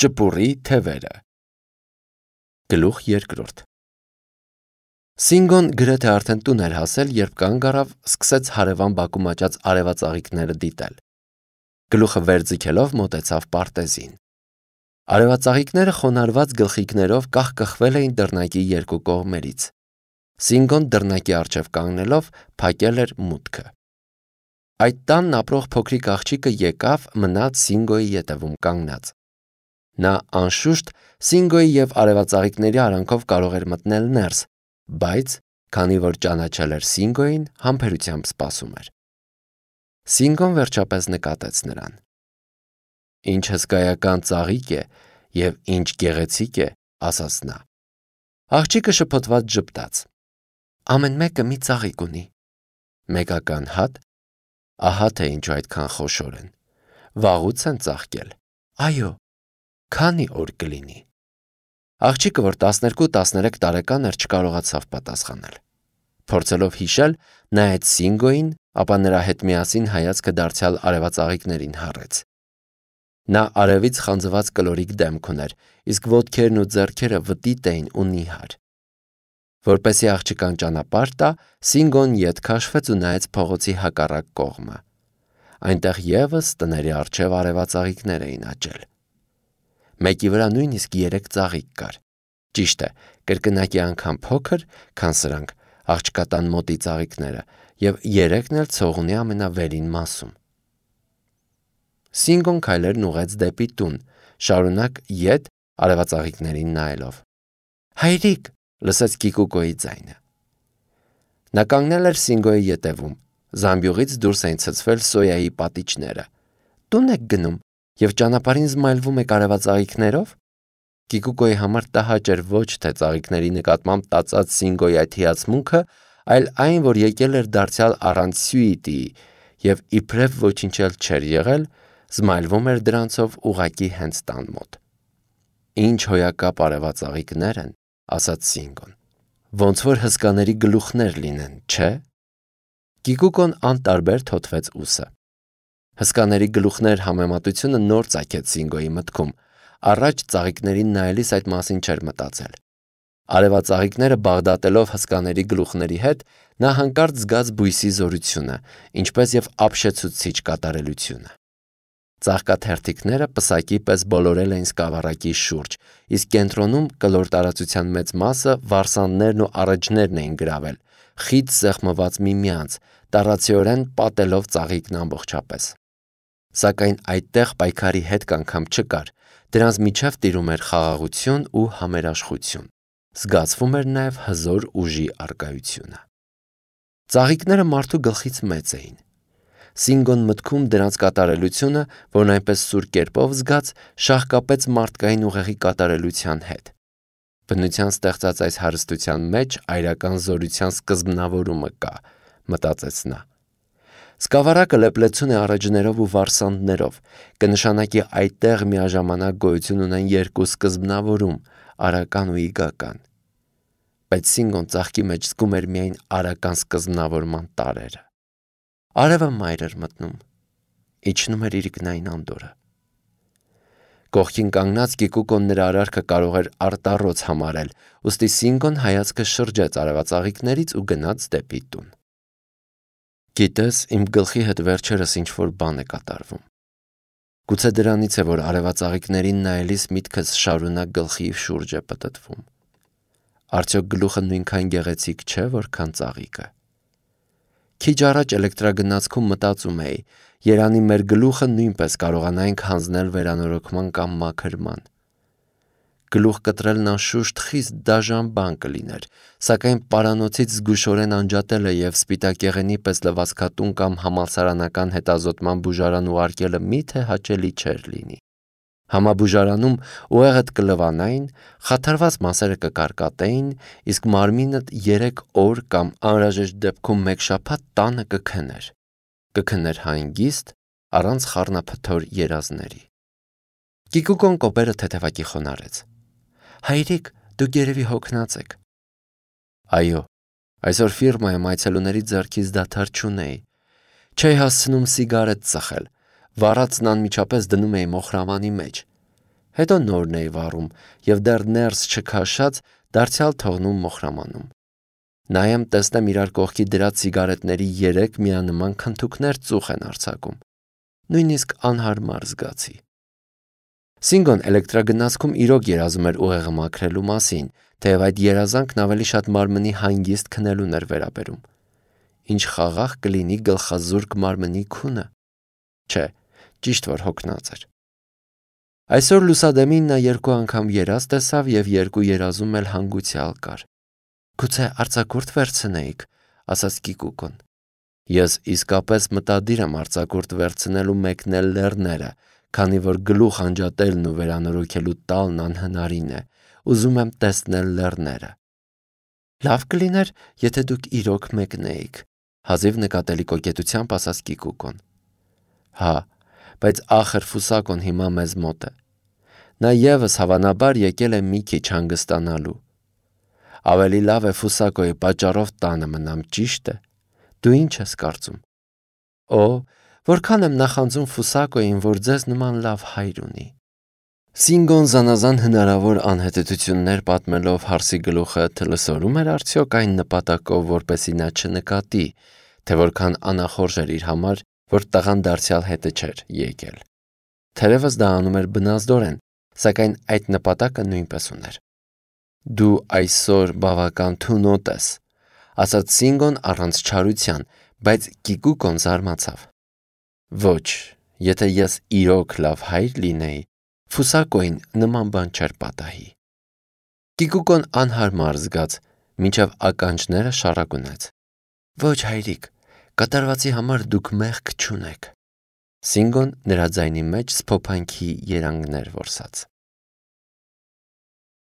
Ճպուրի թևերը։ Գլուխ երկրորդ։ Սինգոն գրեթե արդեն տուն էր հասել, երբ կանգ առավ, սկսեց հարևան բակում աճած արևածաղիկները դիտել։ Գլուխը վեր ձգելով մոտեցավ պարտեզին։ Արևածաղիկները խոնարհված գլխիկներով կախկխվել էին դռնակի երկու կողմերից։ Սինգոն դռնակի առջև կանգնելով փակել էր մուտքը։ Այդ տանն ապրող փոքրիկ աղջիկը եկավ, մնաց Սինգոյի ետևում կանգնած։ Նա անշուշտ Սինգոյի և արևածաղիկների արանքով կարող էր մտնել ներս, բայց քանի որ ճանաչել էր Սինգոյին, համբերությամբ սպասում էր։ Սինգոն վերջապես նկատեց նրան։ Ինչ հսկայական ծաղիկ է և ինչ գեղեցիկ է, ասաց նա։ Աղջիկը շփոթված ժպտաց։ Ամեն մեկը մի ծաղիկ ունի։ Մեկական հատ։ Ահա թե ինչու այդքան խոշոր են։ Վաղուց են ծաղկել։ Այո։ Քանի օր կլինի։ Աղջիկը, որ 12-13 տարեկան էր, չկարողացավ պատասխանել։ Փորձելով հիշել, նայեց Սինգոյին, ապա նրա հետ միասին հայացքը դարձյալ արևածաղիկներին հառեց։ Նա արևից խանձված կլորիկ դեմք ուներ, իսկ ոտքերն ու ձեռքերը վտիտ էին ու նիհար։ Որպեսզի աղջկան ճանապարհ տա, Սինգոն ետ քաշվեց ու նայեց փողոցի հակառակ կողմը։ Այնտեղ ևս տների առջև արևածաղիկներ էին աճել։ Մեկի վրա նույնիսկ 3 ծաղիկ կար։ Ճիշտ է, կրկնակի անգամ փոքր, քան սրանք աղջկատան մոտի ծաղիկները, և 3-ն էլ ցողունի ամենավերին մասում։ Սինգոն քայլերն ուղղեց դեպի տուն, շարունակ ետ արևածաղիկներին նայելով։ Հայրիկ, լսեց Կիկուկոյի ձայնը։ Նա կանգնել էր Սինգոյի ետևում։ Զամբյուղից դուրս էին ցցվել սոյայի պատիճները։ Տուն եք գնում և ճանապարհին զմայլվում եք արևածաղիկներով։ Կիկուկոյի համար տհաճ էր ոչ թե ծաղիկների նկատմամբ տածած Սինգոյի այդ հիացմունքը, այլ այն, որ եկել էր դարձյալ առանց սյուիտիի և իբրև ոչինչ էլ չէր եղել, զմայլվում էր դրանցով ուղղակի հենց տան մոտ։ Ինչ հոյակապ արևածաղիկներ են, ասաց Սինգոն։ Ոնց որ հսկաների գլուխներ լինեն, չէ՞։ Կիկուկոն անտարբեր թոթվեց ուսը։ Հսկաների գլուխներ համեմատությունը նոր ծագեց Սինգոյի մտքում։ Առաջ ծաղիկներին նայելիս այդ մասին չէր մտածել։ Արևածաղիկները բաղդատելով հսկաների գլուխների հետ, նա հանկարծ զգաց բույսի զորությունը, ինչպես և ապշեցուցիչ կատարելությունը։ Ծաղկաթերթիկները պսակի պես բոլորել էին սկավառակի շուրջ, իսկ կենտրոնում կլոր տարածության մեծ մասը վարսանդներն ու առէջներն էին գրավել, խիտ սեղմված միմյանց, տառացիորեն պատելով ծաղիկն ամբողջապես։ Սակայն այդտեղ պայքարի հետք անգամ չկար, դրանց միջև տիրում էր խաղաղություն ու համերաշխություն։ Զգացվում էր նաև հզոր ուժի առկայությունը։ Ծաղիկները մարդու գլխից մեծ էին։ Սինգոն մտքում դրանց կատարելությունը, որն այնպես սուր կերպով զգաց, շաղկապեց մարդկային ուղեղի կատարելության հետ։ Բնության ստեղծած այս հարստության մեջ այրական զորության սկզբնավորումը կա, մտածեց նա։ Սկավառակը լեփլեցուն է առէջներով ու վարսանդներով, կնշանակի այդտեղ միաժամանակ գոյություն ունեն երկու սկզբնավորում՝ արական ու իգական։ Բայց Սինգոն ծաղկի մեջ զգում էր միայն արական սկզբնավորման տարրերը։ Արևը մայր էր մտնում, իջնում էր իր գնային անդորրը։ Կողքին կանգնած Կիկուկոն նրա արարքը կարող էր արտառոց համարել, ուստի Սինգոն հայացքը շրջեց արևածաղիկներից ու գնաց դեպի տուն։ Գիտես, իմ գլխի հետ վերջերս ինչ-որ բան է կատարվում։ Գուցե դրանից է, որ արևածաղիկներին նայելիս միտքս շարունակ գլխի շուրջ է պտտվում։ Արդյոք գլուխը նույնքան գեղեցիկ չէ, որքան ծաղիկը։ Քիչ առաջ էլեկտրագնացքում մտածում էի, երանի մեր գլուխը նույնպես կարողանայինք հանձնել վերանորոգման կամ մաքրման։ Գլուխ կտրելն անշուշտ խիստ դաժան բան կլիներ, սակայն պարանոցից զգուշորեն անջատելը և սպիտակեղենի պես լվացքատուն կամ համալսարանական հետազոտման բուժարան ուղարկելը միթե հաճելի չէր լինի։ Համաբուժարանում ուղեղդ կլվանային, խաթարված մասերը կկարկատեին, իսկ մարմինդ 3 օր կամ անհրաժեշտ դեպքում 1 շաբաթ տանը կքներ։ Կքներ հանգիստ, առանց խառնափթոր երազների։ Կիկուկոն կոպերը թեթևակի խոնարհեց։ Հայրիկ, դուք երևի հոգնած եք։ Այո, այսօր ֆիրմայում այցելուների ձեռքից դադար չունեի։ Չէի հասցնում սիգարետ ծխել, վառածն անմիջապես դնում էի մոխրամանի մեջ։ Հետո նորն էի վառում եւ դեռ ներս չքաշած դարձյալ թողնում մոխրամանում։ Նայեմ տեսնեմ իրար կողքի դրած սիգարետների 3 միանման քնթուկներ ծուխ են արձակում։ Նույնիսկ անհարմար զգացի։ Սինգոն էլեկտրագնացքում իրոք երազում էր ուղեղը մաքրելու մասին, թեև այդ երազանքն ավելի շատ մարմնի հանգիստ քնելուն էր վերաբերում։ Ինչ խաղաղ կլինի գլխազուրկ մարմնի քունը։ Չէ, ճիշտ որ հոգնած էր։ Այսօր լուսադեմին նա 2 անգամ երազ տեսավ եւ 2 երազում էլ հանգուցյալ կար։ Գուցե արձակուրդ վերցնեիք, ասաց Կիկուկոն։ Ես իսկապես մտադիր եմ արձակուրդ վերցնելու մեկնել լեռները, քանի որ գլուխ անջատելն ու վերանորոգելու տալն անհնարին է։ Ուզում եմ տեսնել լեռները։ Լավ կլիներ, եթե դուք իրոք մեկնեիք, հազիվ նկատելի կոկետությամբ ասաց Կիկուկոն։ Հա, բայց ախր Ֆուսակոն հիմա մեզ մոտ է։ Նա եւս հավանաբար եկել է մի քիչ հանգստանալու։ Ավելի լավ է Ֆուսակոյի պատճառով տանը մնամ, ճիշտ է։ Դու ինչ ես կարծում։ Օ, որքան եմ նախանձում Ֆուսակոյին, որ ձեզ նման լավ հայր ունի։ Սինգոն զանազան հնարավոր անհետեցություններ պատմելով հարսի գլուխը թլսորում էր արդյոք այն նպատակով, որպեսզի նա չնկատի, թե որքան անախորժ էր իր համար, որ տղան դարձյալ հետը չէր եկել։ Թերևս դա անում էր բնազդորեն, սակայն այդ նպատակը նույնպես ուներ։ Դու այսօր բավական թունոտ ես, ասաց Սինգոն առանց չարության, բայց Կիկուկոն զարմացավ։ Ոչ, եթե ես իրոք լավ հայր լինեի, Ֆուսակոին նման բան չէր պատահի։ Կիկուկոն անհարմար զգաց, մինչև ականջները շառակունեց։ Ոչ հայրիկ, կատարվածի համար դուք մեղք չունեք։ Սինգոն նրա ձայնի մեջ սփոփանքի երանգներ որսաց։